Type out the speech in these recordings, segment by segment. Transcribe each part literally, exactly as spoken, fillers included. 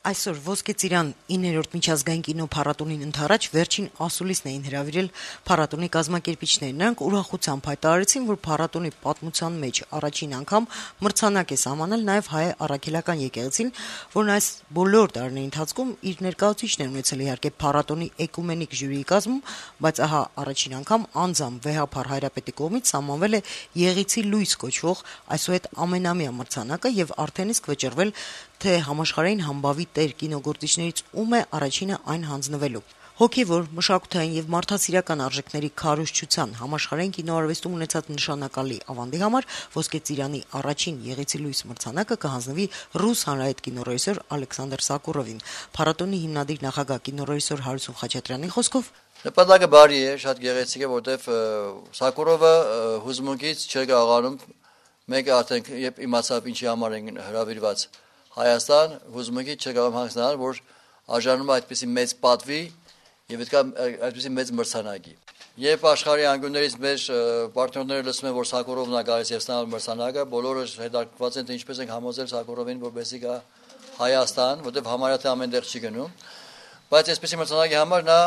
Այսօր Ոսկե ծիրան իններորդ միջազգային կինոփառատոնին ընդառաջ վերջին ասուլիսն էին հրավիրել փառատոնի կազմակերպիչները։ Նրանք ուրախությամբ հայտարարեցին, որ փառատոնի պատմության մեջ առաջին անգամ մրցանակ է սահմանել նաև հայ առաքելական եկեղեցին, որն այս բոլոր տարիների ընթացքում իր ներկայացուցիչն է ունեցել իհարկե փառատոնի էկումենիկ ժյուրիի կազմում, բայց ահա առաջին անգամ անձամբ Վեհափառ Հայրապետի կողմից սահմանվել է Եղիցի լույս կոչվող այսուհետ ամենամյա մրցանակը եւ արդեն իսկ վճռվել թե համաշխարհային համբավի տեր կինոգործիչներից ում է առաջինը այն հանձնվելու։ Հոգևոր, մշակութային եւ մարդասիրական արժեքների քարոզչության համաշխարհային կինոարվեստում ունեցած նշանակալի ավանդի համար Ոսկե ծիրանի առաջին Եղիցի լույս մրցանակը կհանձնվի ռուս հանրահայտ կինոռեժիսոր Ալեքսանդր Սակուրովին։ Փառատոնի հիմնադիր նախագահ կինոռեժիսոր Հարություն Խաչատրյանի խոսքով նպատակը բարի է, շատ գեղեցիկ է, որտեվ Սակուրովը հուզմունքից չէր կարողանում մեկը արդեն երբ իմացավ ինչի համար են հրավիրված Հայաստան, հուզմունքից չէր կարող հանգստանալ, որ արժանում է այդպիսի մեծ պատվի եւ պետք է այդպիսի մեծ մրցանակի։ Երբ աշխարհի անկյուններից մեր պարտներները լսում են, որ Սակուրովն է գալիս եւ ստանալ մրցանակը, բոլորը հետաքրքրված են թե ինչպես են համոզել Սակուրովին, որպեսզի գա Հայաստան, որտեվ համարյա թե ամեն տեղ չի գնում, բայց այսպիսի մրցանակի համար նա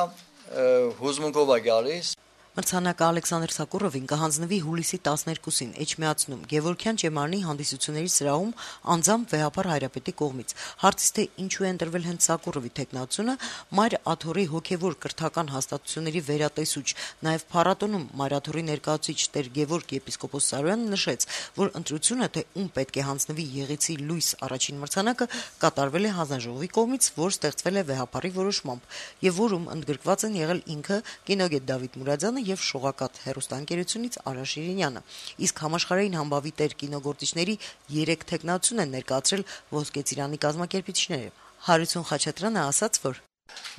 հուզմունքով է գալիս։ Մրցանակը Ալեքսանդր Սակուրովին կհանձնվի հուլիսի տասներկուսին Էջմիածնում Գևորգյան Ճեմարանի հանդիսությունների սրահում անձամբ Վեհափառ Հայրապետի կողմից։ Հարցից թե ինչու է ընտրվել հենց Սակուրովի թեկնածությունը, Մայր Աթոռի հոգևոր կրթական հաստատությունների վերատեսուչ, նաև փառատոնում Մայր Աթոռի ներկայացուցիչ Տեր Գևորգ եպիսկոպոս Սարոյանը նշեց, որ ընտրությունը թե ում պետք է հանձնվի Եղիցի լույս առաջին մրցանակը կատարվել է հանձնաժողովի կողմից, որ ստեղծվել է Վեհափառի որոշմամբ եւ որում ընդգրկված են եղել ինքը կինոգետ Դավիթ Մուրադյանը եւ Շողակաթ հեռուստաընկերությունից Արա Շիրինյանը։ Իսկ համաշխարհային համբավի տեր կինոգործիչների երեք թեկնածություն են ներկայացրել Ոսկե ծիրանի կազմակերպիչները։ Հարություն Խաչատրյանը ասաց, որ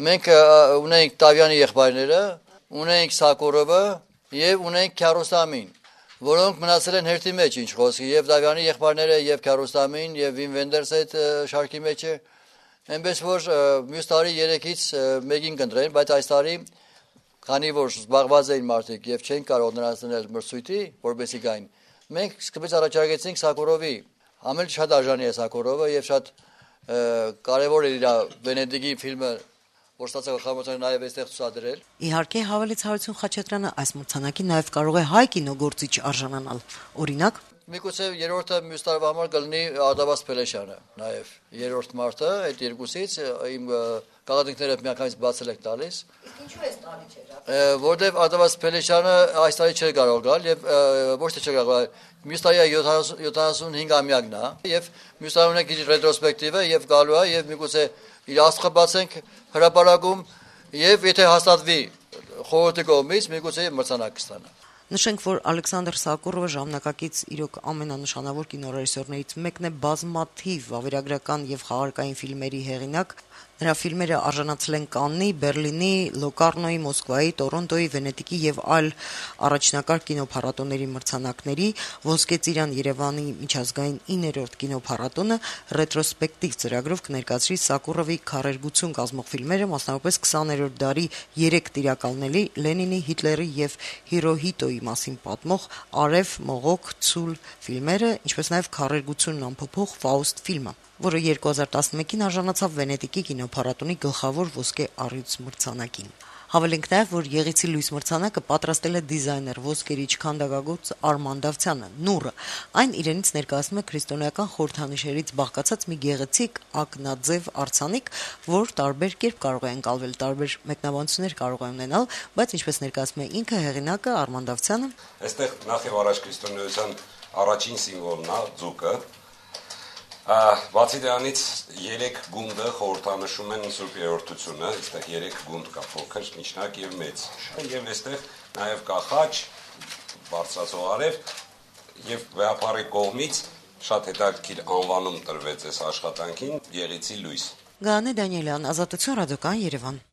մենք ունենք Տավյանի եղբայրները, ունենք Սակուրովը եւ ունենք Քյարոստամին, որոնք մնացել են հերթի մեջ ինչ խոսքի, եւ Տավյանի եղբայրները եւ Քյարոստամին եւ Վին Վենդերսը այդ շարքի մեջ է։ Այնպես որ մյուս տարի երեքից մեկին կընտրեն, բայց այս տարի քանի որ զբաղված էին մարդիկ եւ չեն կարող նրանց դնել մրցույթի, որպեսզի գային, մենք սկզբից առաջարկեցինք Սակուրովի, ամեն շատ արժանի է Սակուրովը եւ շատ կարեւոր է իր Վենետիկի ֆիլմը, որ ստացել խաղամրցանակը նաեւ այստեղ ցուցադրել։ Իհարկե հավելեց Հարություն Խաչատրյանը, այս մրցանակի նաեւ կարող է հայ կինոգործիչ արժանանալ։ Օրինակ Միգուցե երրորդը մյուս տարվա համար կլինի Արտավազ Փելեշյանը, նաև երրորդ մարտը այդ երկուսից իմ գաղտնիքները միանգամից բացել եք տալիս։ Ինչու է տալի չէ։ Որտեվ Արտավազ Փելեշյանը այս տարի չէր կարող գալ եւ ոչ թե չէր կարող, մյուս տարի յոթանասունհինգամյակն է եւ մյուս տարի ունենք իր ռետրոսպեկտիվը եւ գալու է եւ միգուցե իր աստղը բացենք հրապարակում եւ եթե հաստատվի խորհրդի կողմից միգուցե մրցանակ կստանա։ Նշենք, որ Ալեքսանդր Սակուրովը ժամանակակից իրոք ամենանշանավոր կինոռեժիսորներից մեկն է, բազմաթիվ վավերագրական եւ խաղարկային ֆիլմերի հեղինակ։ Նրա ֆիլմերը արժանացել են Կաննի, Բերլինի, Լոկարնոյի, Մոսկվայի, Տորոնտոյի, Վենետիկի եւ այլ առաջնակարգ կինոփառատոների մրցանակների, Ոսկե ծիրան Երևանի միջազգային իններորդ կինոփառատոնը ռետրոսպեկտիվ ծրագրով կներկայացրի Սակուրովի քարերգություն կազմող ֆիլմերը, մասնավորապես քսաներորդ դարի երեք տիրակալների՝ Լենինի, Հիտլերի եւ Հիրոհիտոյի մասին պատմող Արև, Մողոք, Ցուլ ֆիլմերը, ինչպես նաեւ քարերգությունն ամփոփող Ֆաուստ ֆիլմը, որը երկու հազար տասնմեկին արժանացավ Վենետիկի կինոփառատոնի գլխավոր ոսկե առյուծ մրցանակին։ Հավելենք նաև, որ Եղիցի լույս մրցանակը պատրաստել է դիզայներ ոսկերիչ քանդակագործ Արման Դավթյանը, Նուրը։ Այն իրենից ներկայացնում է քրիստոնեական խորհրդանիշերից բաղկացած մի գեղեցիկ ակնաձև արձանիկ, որ տարբեր կերպ կարող է ընկալվել, տարբեր մեկնաբանություններ կարող է ունենալ, բայց ինչպես ներկայացնում է ինքը հեղինակը Արման Դավթյանը, այստեղ նախ եւ առաջ քրիստոնեության առաջին սիմվոլն է ձուկը։ Բացի դրանից երեք գունդը խորհրդանշում են Սուրբ Երրորդությունը, այստեղ երեք գունդ կա, փոքր, միջնակ եւ մեծ։ Եվ այստեղ նաեւ կա խաչ, բարձրացող արև եւ Վեհափառի կողմից շատ հետաքրքիր անվանում տրվեց այս աշխատանքին Եղիցի լույս։ Գանե Դանիելյան, Ազատություն ռադիոկայան Երևան։